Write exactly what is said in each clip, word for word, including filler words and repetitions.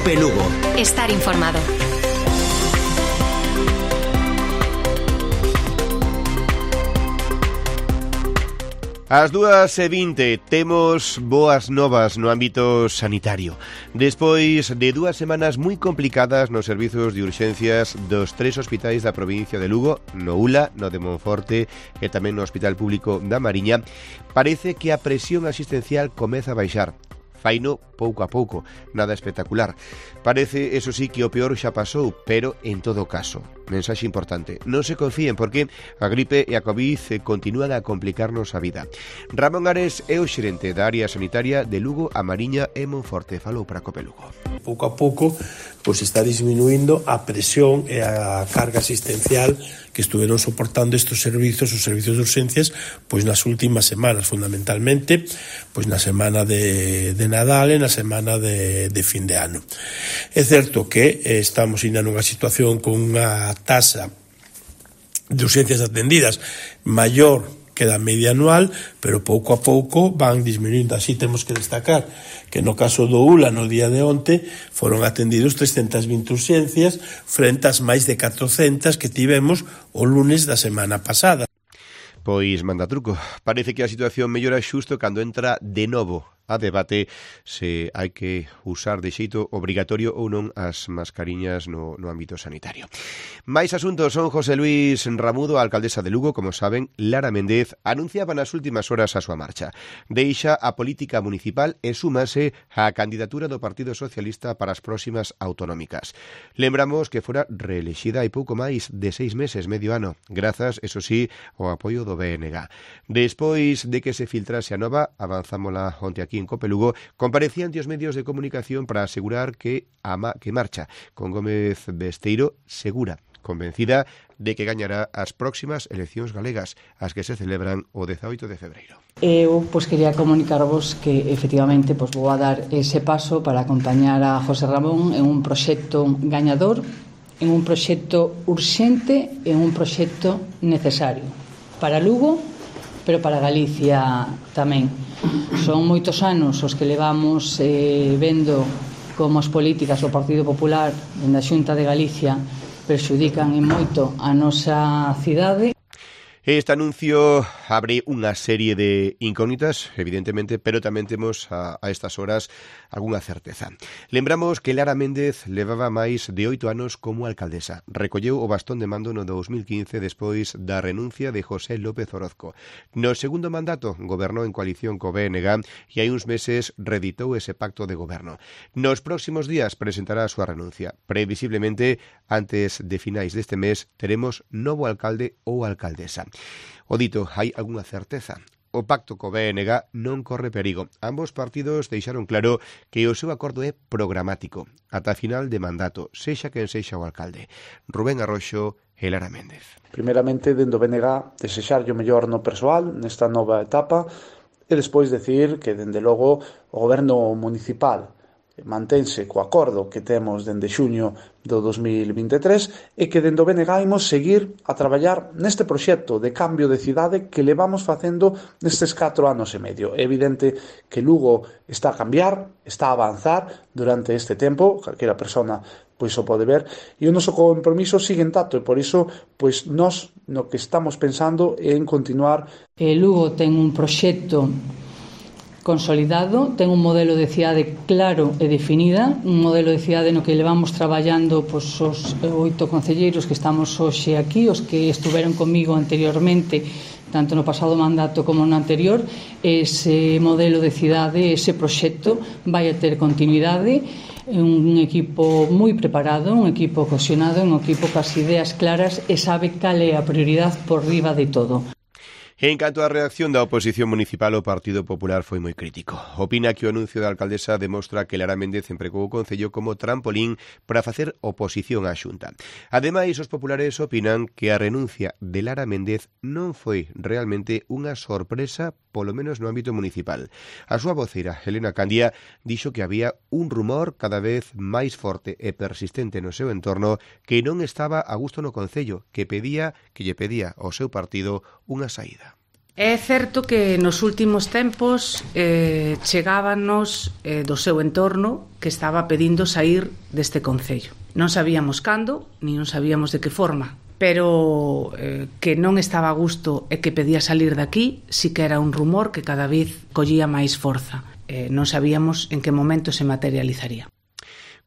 Cope Lugo. Estar informado. Ás dúas e vinte temos boas novas no ámbito sanitario. Despois de dúas semanas moi complicadas nos servizos de urxencias dos tres hospitais da provincia de Lugo, no U L A, no de Monforte e tamén no Hospital Público da Mariña, parece que a presión asistencial comeza a baixar. Faino pouco a pouco, nada espectacular. Parece, eso sí, que o peor xa pasou, pero en todo caso, mensaxe importante, non se confíen porque a gripe e a COVID continúan a complicarnos a vida. Ramón Ares é o xerente da área sanitaria de Lugo, a Mariña e Monforte. Falou para Cope Lugo. Pouco a pouco, pois está disminuindo a presión e a carga asistencial que estuveron soportando estes servizos, os servizos de urxencias, pois nas últimas semanas, fundamentalmente, pois na semana de, de Nadal e na semana de, de fin de ano. É certo que eh, estamos ainda nunha situación con unha tasa de urxencias atendidas maior que da media anual, pero pouco a pouco van disminuindo. Así temos que destacar que no caso do U L A no día de onte foron atendidos trescentas vinte urxencias frente ás máis de catrocentas que tivemos o lunes da semana pasada. Pois manda truco. Parece que a situación mellora xusto cando entra de novo a debate se hai que usar de xeito obrigatorio ou non as mascariñas no, no ámbito sanitario. Mais asuntos. Son José Luis Ramudo, a alcaldesa de Lugo, como saben. Lara Méndez anunciaba nas últimas horas a súa marcha. Deixa a política municipal e súmase á candidatura do Partido Socialista para as próximas autonómicas. Lembramos que fora reelexida hai pouco máis de seis meses, medio ano, grazas, eso sí, ao apoio do B N G. Despois de que se filtrase a nova, avanzámola onte aquí en Cope Lugo, comparecía ante os medios de comunicación para asegurar que a ma, que marcha con Gómez Besteiro segura, convencida de que gañará as próximas eleccións galegas, as que se celebran o dezaoito de febreiro. Eu pois, quería comunicarvos que efectivamente pois, vou a dar ese paso para acompañar a José Ramón en un proxecto gañador, en un proxecto urxente e en un proxecto necesario para Lugo, pero para Galicia tamén. Son moitos anos os que levamos eh, vendo como as políticas do Partido Popular na Xunta de Galicia perxudican en moito a nosa cidade. Este anuncio abre unha serie de incógnitas, evidentemente, pero tamén temos a, a estas horas algunha certeza. Lembramos que Lara Méndez levaba máis de oito anos como alcaldesa. Recolleu o bastón de mando no dos mil quince despois da renuncia de José López Orozco. No segundo mandato gobernou en coalición co B N G e hai uns meses reeditou ese pacto de goberno. Nos próximos días presentará a súa renuncia. Previsiblemente, antes de finais deste mes, teremos novo alcalde ou alcaldesa. O dito, hai algunha certeza. O pacto co B N G non corre perigo. Ambos partidos deixaron claro que o seu acordo é programático, ata final de mandato, sexa quen sexa o alcalde. Rubén Arroxo e Lara Méndez. Primeiramente, dentro do B N G, desexarlle o mellor no persoal nesta nova etapa e despois decir que, dende logo, o goberno municipal mantense co acordo que temos dende xuño do dos mil vinte e tres e que dende o B N G imos seguir a traballar neste proxecto de cambio de cidade que levamos facendo nestes catro anos e medio. É evidente que Lugo está a cambiar, está a avanzar durante este tempo, calquera persona pois o pode ver, e o noso compromiso sigue intacto e por iso pois nós no que estamos pensando é en continuar. Eh, Lugo ten un proxecto consolidado, ten un modelo de cidade claro e definida, un modelo de cidade no que levamos traballando pois, os oito concelleiros que estamos hoxe aquí, os que estuveron comigo anteriormente, tanto no pasado mandato como no anterior. Ese modelo de cidade, ese proxecto vai a ter continuidade, un equipo moi preparado, un equipo cohesionado, un equipo cas ideas claras e sabe cal é a prioridade por riba de todo. En canto á reacción da oposición municipal, o Partido Popular foi moi crítico. Opina que o anuncio da alcaldesa demostra que Lara Méndez empregou o Concello como trampolín para facer oposición á Xunta. Ademais, os populares opinan que a renuncia de Lara Méndez non foi realmente unha sorpresa, polo menos no ámbito municipal. A súa voceira, Helena Candia, dixo que había un rumor cada vez máis forte e persistente no seu entorno que non estaba a gusto no Concello, que pedía que lle pedía ao seu partido unha saída. É certo que nos últimos tempos eh, chegábanos eh, do seu entorno que estaba pedindo sair deste concello. Non sabíamos cando, ni non sabíamos de que forma, pero eh, que non estaba a gusto e que pedía salir daqui, sí que era un rumor que cada vez collía máis forza. Eh, non sabíamos en que momento se materializaría.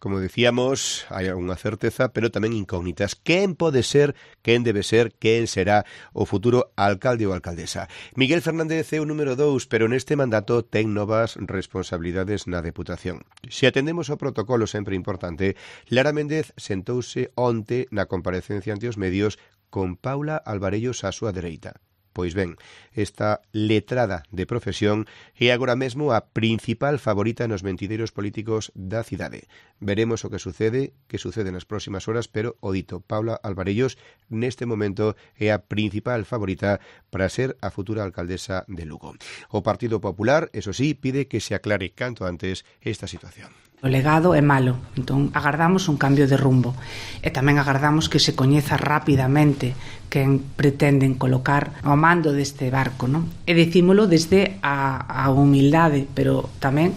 Como decíamos, hai algunha certeza, pero tamén incógnitas. Quen pode ser, quen debe ser, quen será o futuro alcalde ou alcaldesa? Miguel Fernández é o número dous, pero neste mandato ten novas responsabilidades na Deputación. Se atendemos ao protocolo sempre importante, Lara Méndez sentouse onte na comparecencia ante os medios con Paula Alvarellos á súa dereita. Pois ben, esta letrada de profesión é agora mesmo a principal favorita nos mentideiros políticos da cidade. Veremos o que sucede, que sucede nas próximas horas, pero o dito, Paula Alvarellos neste momento é a principal favorita para ser a futura alcaldesa de Lugo. O Partido Popular, eso sí, pide que se aclare canto antes esta situación. O legado é malo, entón agardamos un cambio de rumbo e tamén agardamos que se coñeza rapidamente quen pretenden colocar ao mando deste barco, non? E dicímolo desde a, a humildade, pero tamén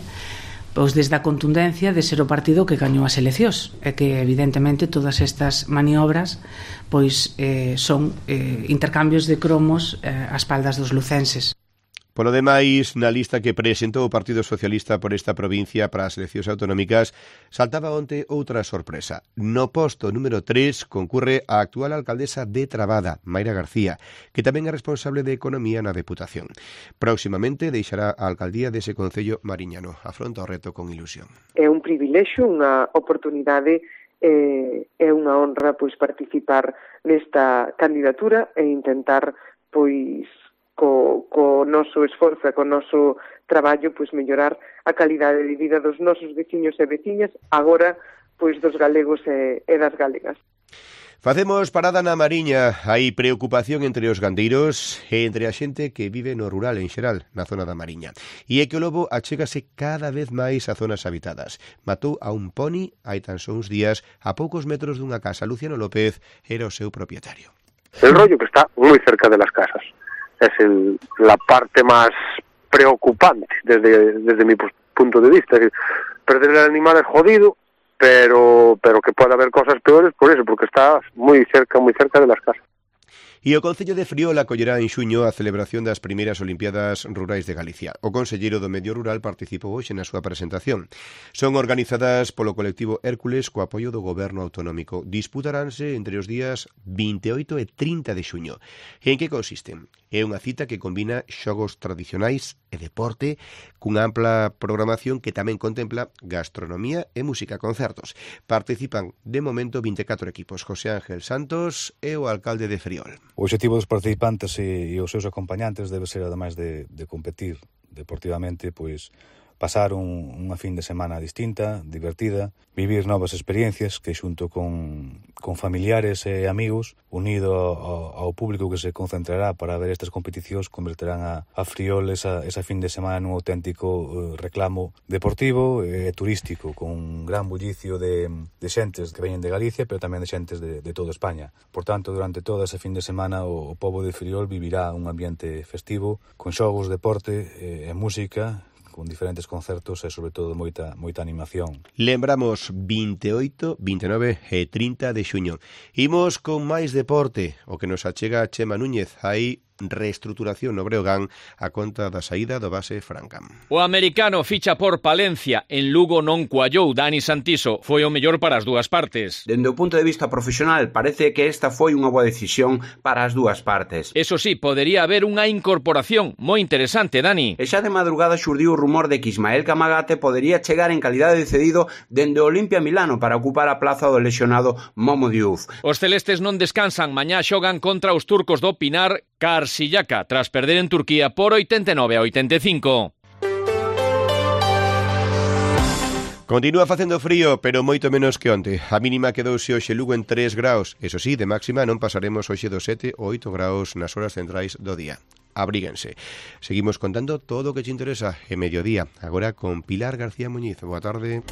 pois desde a contundencia de ser o partido que gañou as eleccións e que evidentemente todas estas maniobras pois eh, son eh, intercambios de cromos eh, ás espaldas dos lucenses. Polo demais, na lista que presentou o Partido Socialista por esta provincia para as eleccións autonómicas, saltaba onte outra sorpresa. No posto número tres concurre a actual alcaldesa de Trabada, Mayra García, que tamén é responsable de Economía na Deputación. Próximamente deixará a alcaldía dese concello mariñano. Afronta o reto con ilusión. É un privilexio, unha oportunidade e é unha honra pois participar nesta candidatura e intentar pois co, co noso esforzo e co noso traballo pois mellorar a calidade de vida dos nosos veciños e veciñas, agora pois dos galegos e, e das galegas. Facemos parada na Mariña. Hai preocupación entre os gandeiros e entre a xente que vive no rural en xeral, na zona da Mariña. E é que o lobo achégase cada vez máis a zonas habitadas. Matou a un poni hai tan só uns días a poucos metros dunha casa. Luciano López era o seu propietario. El rollo que está muy cerca de las casas. Es el, la parte más preocupante desde, desde mi punto de vista. Perder el animal es jodido, pero pero que puede haber cosas peores por eso, porque está muy cerca, muy cerca de las casas. E o Concello de Friol acollerá en xuño a celebración das primeiras Olimpiadas Rurais de Galicia. O conselleiro do Medio Rural participou hoxe na súa presentación. Son organizadas polo colectivo Hércules co apoio do Goberno Autonómico. Disputaránse entre os días vinte e oito e trinta de xuño. E en que consisten? É unha cita que combina xogos tradicionais e deporte cunha ampla programación que tamén contempla gastronomía e música concertos. Participan de momento vinte e catro equipos. José Ángel Santos é o alcalde de Friol. O objetivo dos participantes e, e os seus acompañantes debe ser, ademais de, de competir deportivamente, pois pasar un, unha fin de semana distinta, divertida, vivir novas experiencias que xunto con, con familiares e amigos, unido ao, ao público que se concentrará para ver estas competicións, converterán a, a Friol esa, esa fin de semana nun auténtico uh, reclamo deportivo e turístico, con un gran bullicio de, de xentes que veñen de Galicia, pero tamén de xentes de, de toda España. Por tanto, durante toda esa fin de semana o, o pobo de Friol vivirá un ambiente festivo, con xogos, deporte e, e música, con diferentes concertos e, sobre todo, moita, moita animación. Lembramos vinte e oito, vinte e nove e trinta de xuño. Imos con máis deporte, o que nos achega Chema Núñez. Hai reestruturación no Breogán a conta da saída do base Francam. O americano ficha por Palencia, en Lugo non cuallou. Dani Santiso foi o mellor para as dúas partes. Dende o punto de vista profesional, parece que esta foi unha boa decisión para as dúas partes. Eso sí, podería haber unha incorporación moi interesante, Dani. E xa de madrugada xurdiu o rumor de que Ismael Camagate podería chegar en calidade de cedido dende o Olimpia Milano para ocupar a plaza do lesionado Momo Diouf. Os celestes non descansan, mañá xogan contra os turcos do Pinar Karşıyaka, tras perder en Turquía por oitenta e nove a oitenta e cinco. Continúa facendo frío, pero moito menos que onte. A mínima quedouse hoxe Lugo en tres graus. Eso sí, de máxima non pasaremos hoxe dos sete ou oito graus nas horas centrais do día. Abríguense. Seguimos contando todo o que te interesa en mediodía. Agora con Pilar García Muñiz. Boa tarde.